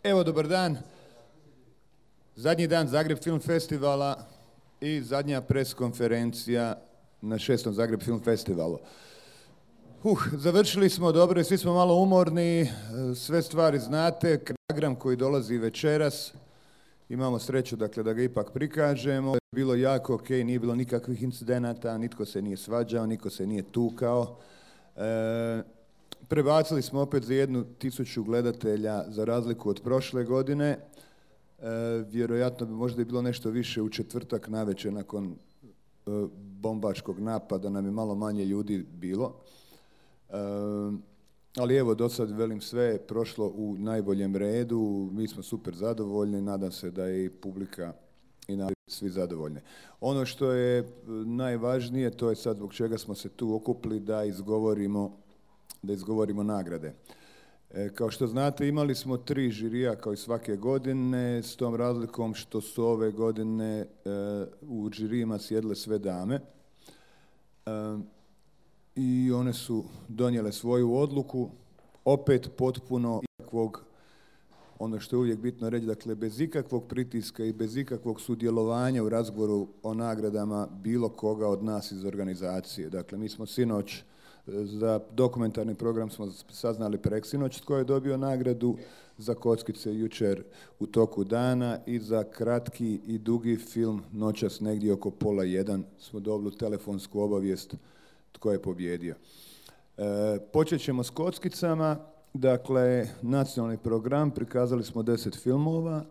Evo, dobar dan. Zadnji dan Zagreb Film Festivala i zadnja pres konferencija na 6. Zagreb Film Festivalu. Završili smo dobro i svi smo malo umorni, sve stvari znate, program koji dolazi večeras, imamo sreću dakle, da ga ipak prikažemo. Bilo jako ok, nije bilo nikakvih incidenata, nitko se nije svađao, nitko se nije tukao. Prebacili smo opet za 1.000 gledatelja za razliku od prošle godine. Vjerojatno bi možda i bilo nešto više u četvrtak navečer nakon bombaškog napada, nam je malo manje ljudi bilo. Ali evo, do sad velim sve je prošlo u najboljem redu, mi smo super zadovoljni, nadam se da je i publika i svi zadovoljni. Ono što je najvažnije, to je sad zbog čega smo se tu okupili, da izgovorimo nagrade. Kao što znate, imali smo 3 žirija kao i svake godine, s tom razlikom što su ove godine u žirijima sjedile sve dame. I one su donijele svoju odluku, opet potpuno ikakvog, ono što je uvijek bitno reći, dakle bez ikakvog pritiska i bez ikakvog sudjelovanja u razgovoru o nagradama bilo koga od nas iz organizacije. Dakle, mi smo sinoć za dokumentarni program smo saznali preksinoć tko je dobio nagradu, za kockice jučer u toku dana i za kratki i dugi film noćas negdje oko 12:30 smo dobili telefonsku obavijest tko je pobjedio. Počet ćemo s kockicama. Dakle, nacionalni program, prikazali smo 10 filmova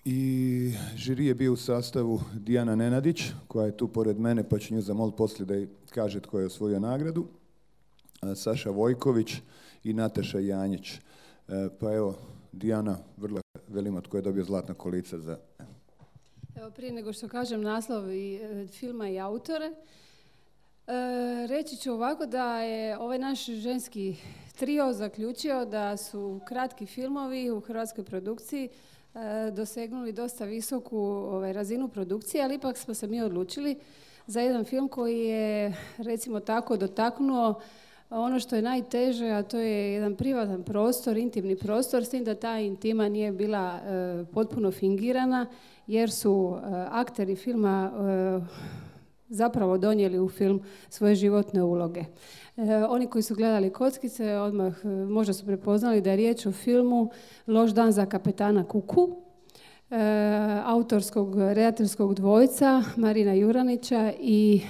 i žiri je bio u sastavu Dijana Nenadić, koja je tu pored mene, pa ću nju zamoliti poslije da kaže tko je osvojio nagradu, Saša Vojković i Nataša Janjić. Pa evo, Dijana, vrlo velimo tko je dobio Zlatna kolica za... Evo, prije nego što kažem naslov i filma i autore, reći ću ovako da je ovaj naš ženski trio zaključio da su kratki filmovi u hrvatskoj produkciji dosegnuli dosta visoku razinu produkcije, ali ipak smo se mi odlučili za jedan film koji je, recimo tako, dotaknuo ono što je najteže, a to je jedan privatan prostor, intimni prostor, s tim da ta intima nije bila potpuno fingirana, jer su akteri filma zapravo donijeli u film svoje životne uloge. Oni koji su gledali Kockice odmah možda su prepoznali da je riječ o filmu Loš dan za kapetana Kuku, autorskog redateljskog dvojca Marina Juranića i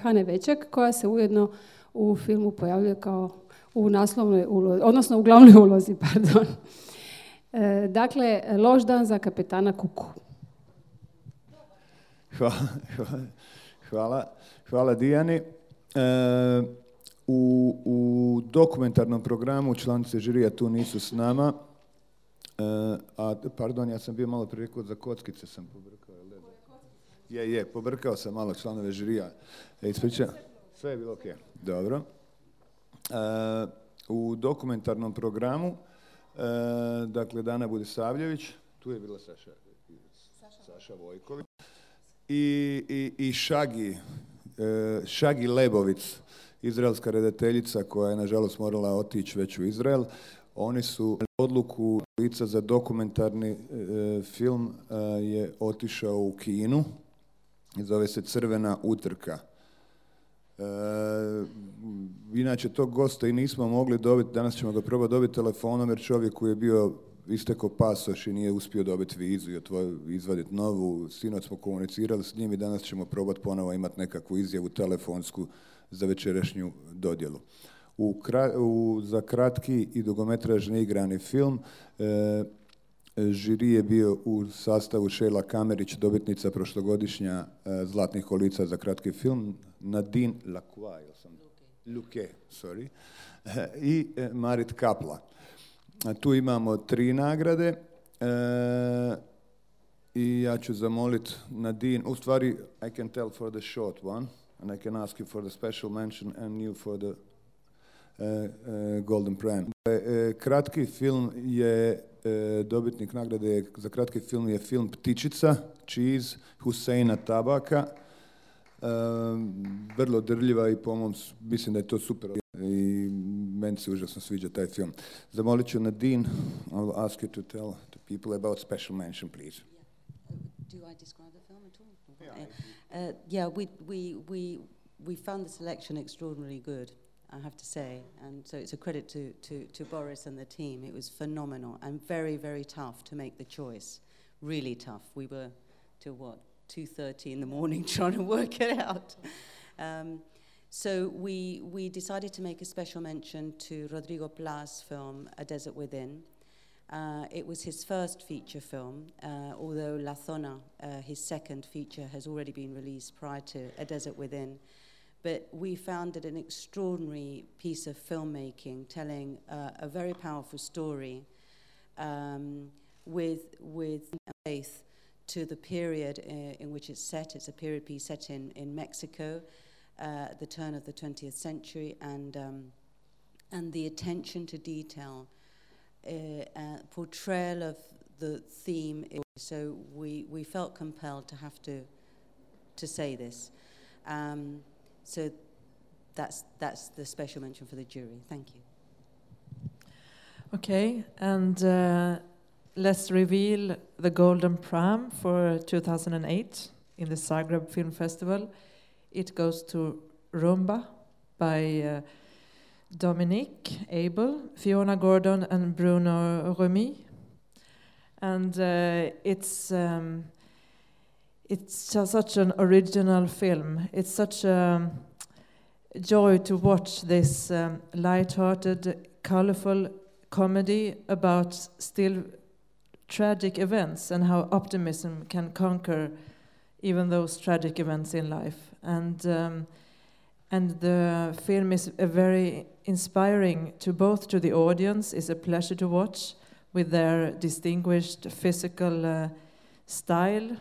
Hane Veček, koja se ujedno u filmu pojavljuje kao u naslovnoj ulozi, odnosno u glavnoj ulozi, pardon. Dakle, Loš dan za kapetana Kuku. Hvala Dijani. U dokumentarnom programu članice žirija tu nisu s nama. Pardon, ja sam bio malo prije rekao za Kockice sam pobrkao. Pobrkao sam malo članove žirija. Ispričam. Sve je bilo ok. Dobro. U dokumentarnom programu, dakle, Dana Budisavljević, tu je bila Saša Vojković, i Šagi Lebovic, izraelska redateljica koja je nažalost morala otići već u Izrael. Oni su odluku lica za dokumentarni film je otišao u Kinu i zove se Crvena utrka. Inače tog gosta i nismo mogli dobiti, danas ćemo ga probati dobiti telefonom jer čovjek koji je bio istekao pasoš i nije uspio dobiti vizu i izvaditi novu. Sinoć smo komunicirali s njim i danas ćemo probati ponovo imati nekakvu izjavu telefonsku za večerašnju dodjelu. Za kratki i dugometražni igrani film žiri je bio u sastavu Šejla Kamerić, dobitnica prošlogodišnja Zlatnih kolica za kratki film, Nadine Luque i Marit Kapla. Tu imamo 3 nagrade i ja ću zamoliti Nadine, u stvari I can tell for the short one and I can ask you for the special mention and you for the Golden Pram. Kratki film je, dobitnik nagrade za kratki film je film Ptičica, Cheese, Huseina Tabaka. Vrlo drljiva i po mom, mislim da je to super. I meni se užasno sviđa taj film. Zamolit ću Nadine, I'll ask you to tell the people about special mention, please. Do I describe the film at all? Yeah, we found the selection extraordinarily good, I have to say, and so it's a credit to Boris and the team. It was phenomenal and very, very tough to make the choice. Really tough. We were till 2:30 in the morning trying to work it out. So we decided to make a special mention to Rodrigo Pla's film A Desert Within. It was his first feature film, although La Zona, his second feature, has already been released prior to A Desert Within. But we found it an extraordinary piece of filmmaking, telling a very powerful story with faith to the period in which it's set. It's a period piece set in Mexico at the turn of the 20th century, and the attention to detail, portrayal of the theme. So we felt compelled to have to say this. So that's the special mention for the jury. Thank you. Okay, and let's reveal the Golden Pram for 2008 in the Zagreb Film Festival. It goes to Rumba by Dominique Abel, Fiona Gordon and Bruno Remy. And it's such an original film. It's such a joy to watch this light-hearted, colorful comedy about still tragic events and how optimism can conquer even those tragic events in life. And the film is very inspiring to both to the audience. It's a pleasure to watch with their distinguished physical style,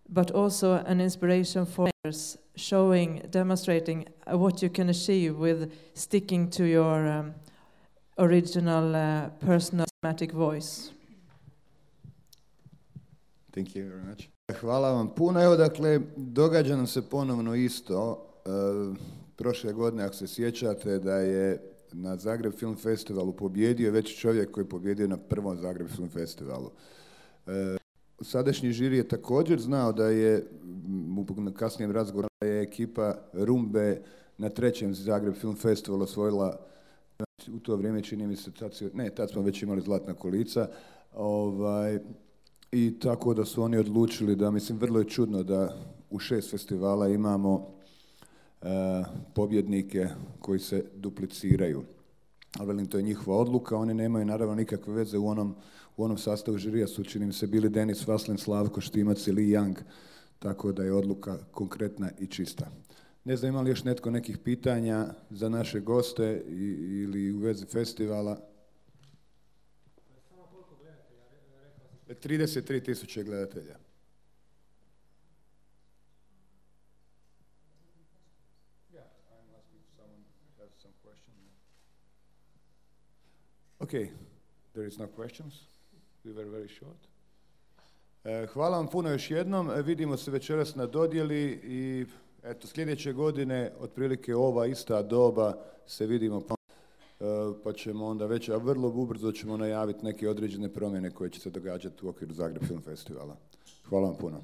but also an inspiration for others, demonstrating what you can achieve with sticking to your original personal cinematic voice. Thank you very much. Hvala vam puno. Evo, dakle, događa nam se ponovno isto. Prošle godine, ako se sjećate, da je na Zagreb Film Festivalu pobjedio već čovjek koji je pobjedio na prvom Zagreb Film Festivalu. Sadašnji žiri je također znao da je u kasnijem razgovoru da je ekipa Rumbe na trećem Zagreb Film Festivalu osvojila, u to vrijeme čini mi se, tad smo već imali Zlatna kolica, i tako da su oni odlučili da, mislim, vrlo je čudno da u 6 festivala imamo pobjednike koji se dupliciraju. Ali velim, to je njihova odluka, oni nemaju naravno nikakve veze u onom sastavu žirija su, čini mi se, bili Denis Vaslen, Slavko Štimac i Li Young, tako da je odluka konkretna i čista. Ne znam, ima li još netko nekih pitanja za naše goste ili u vezi festivala? 33.000 gledatelja. Okay, there is no questions. We were very short. Hvala vam puno još jednom. Vidimo se večeras na dodjeli i eto, sljedeće godine, otprilike ova ista doba, se vidimo, pa ćemo onda već, a vrlo ubrzo ćemo najaviti neke određene promjene koje će se događati u okviru Zagreb Film Festivala. Hvala vam puno.